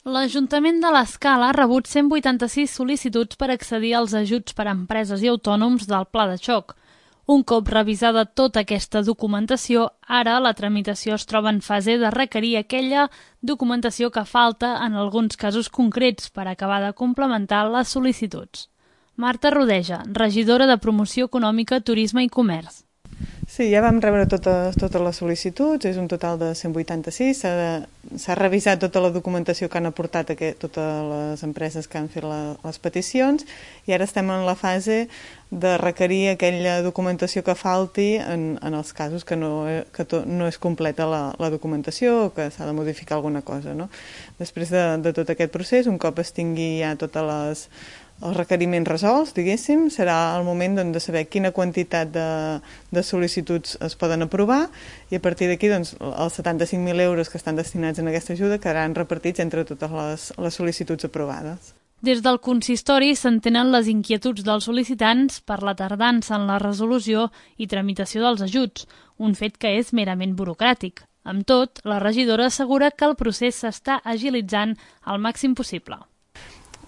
L'Ajuntament de l'Escala ha rebut 186 sol·licituds per accedir als ajuts per a empreses i autònoms del Pla de Xoc. Un cop revisada tota aquesta documentació, ara la tramitació es troba en fase de requerir aquella documentació que falta en alguns casos concrets per acabar de complementar les sol·licituds. Marta Rodeja, regidora de Promoció Econòmica, Turisme i Comerç. Sí, ja vam rebre totes les sol·licituds, és un total de 186, s'ha revisat tota la documentació que han aportat totes les empreses que han fet les peticions i ara estem en la fase de requerir aquella documentació que falti en els casos que no és completa la documentació o que s'ha de modificar alguna cosa, no? Després de tot aquest procés, un cop es tingui ja totes els requeriments resolts, diguéssim, serà el moment de saber quina quantitat de sol·licituds es poden aprovar i a partir d'aquí els 75.000 euros que estan destinats en aquesta ajuda quedaran repartits entre totes les sol·licituds aprovades. Des del consistori s'entenen les inquietuds dels sol·licitants per la tardança en la resolució i tramitació dels ajuts, un fet que és merament burocràtic. Amb tot, la regidora assegura que el procés s'està agilitzant al màxim possible.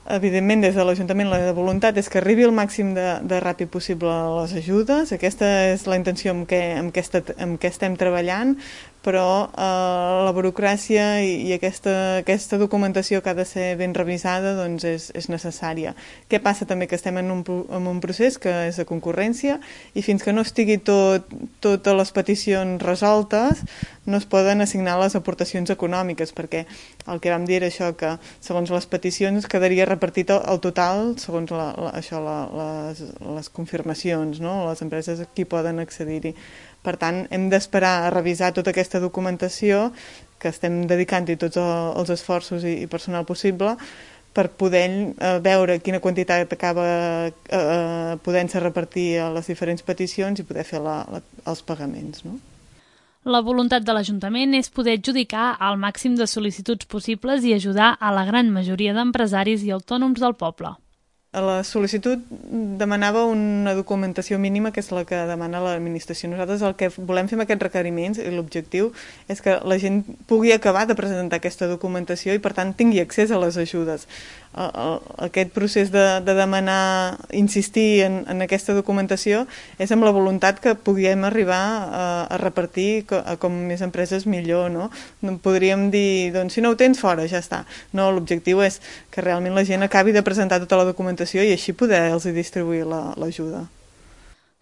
Evidentment, des de l'Ajuntament la voluntat és que arribi el màxim de ràpid possible a les ajudes. Aquesta és la intenció amb què estem treballant, però la burocràcia i aquesta documentació que ha de ser ben revisada doncs és necessària. Què passa també? Que estem en un procés que és de concurrència i fins que no estigui totes les peticions resoltes no es poden assignar les aportacions econòmiques, perquè el que vam dir era això, que segons les peticions quedaria repartit el total segons les confirmacions, no? Les empreses qui poden accedir-hi. Per tant, hem d'esperar a revisar tota aquesta documentació que estem dedicant-hi tots els esforços i personal possible per poder veure quina quantitat acaba podent-se repartir a les diferents peticions i poder fer els pagaments, no? La voluntat de l'Ajuntament és poder adjudicar el màxim de sol·licituds possibles i ajudar a la gran majoria d'empresaris i autònoms del poble. La sol·licitud demanava una documentació mínima, que és la que demana l'administració. Nosaltres el que volem fer amb aquests requeriments i l'objectiu és que la gent pugui acabar de presentar aquesta documentació i per tant tingui accés a les ajudes. Aquest procés de demanar, insistir en aquesta documentació és amb la voluntat que puguem arribar a repartir a com més empreses millor, no? Podríem dir, doncs si no ho tens fora, ja està. No, l'objectiu és que realment la gent acabi de presentar tota la documentació i així poder-los distribuir l'ajuda.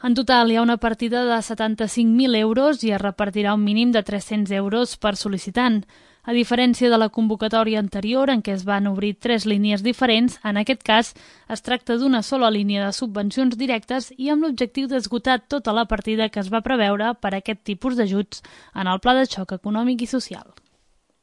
En total hi ha una partida de 75.000 euros i es repartirà un mínim de 300 euros per sol·licitant. A diferència de la convocatòria anterior, en què es van obrir 3 línies diferents, en aquest cas es tracta d'una sola línia de subvencions directes i amb l'objectiu d'esgotar tota la partida que es va preveure per a aquest tipus d'ajuts en el Pla de Xoc Econòmic i Social.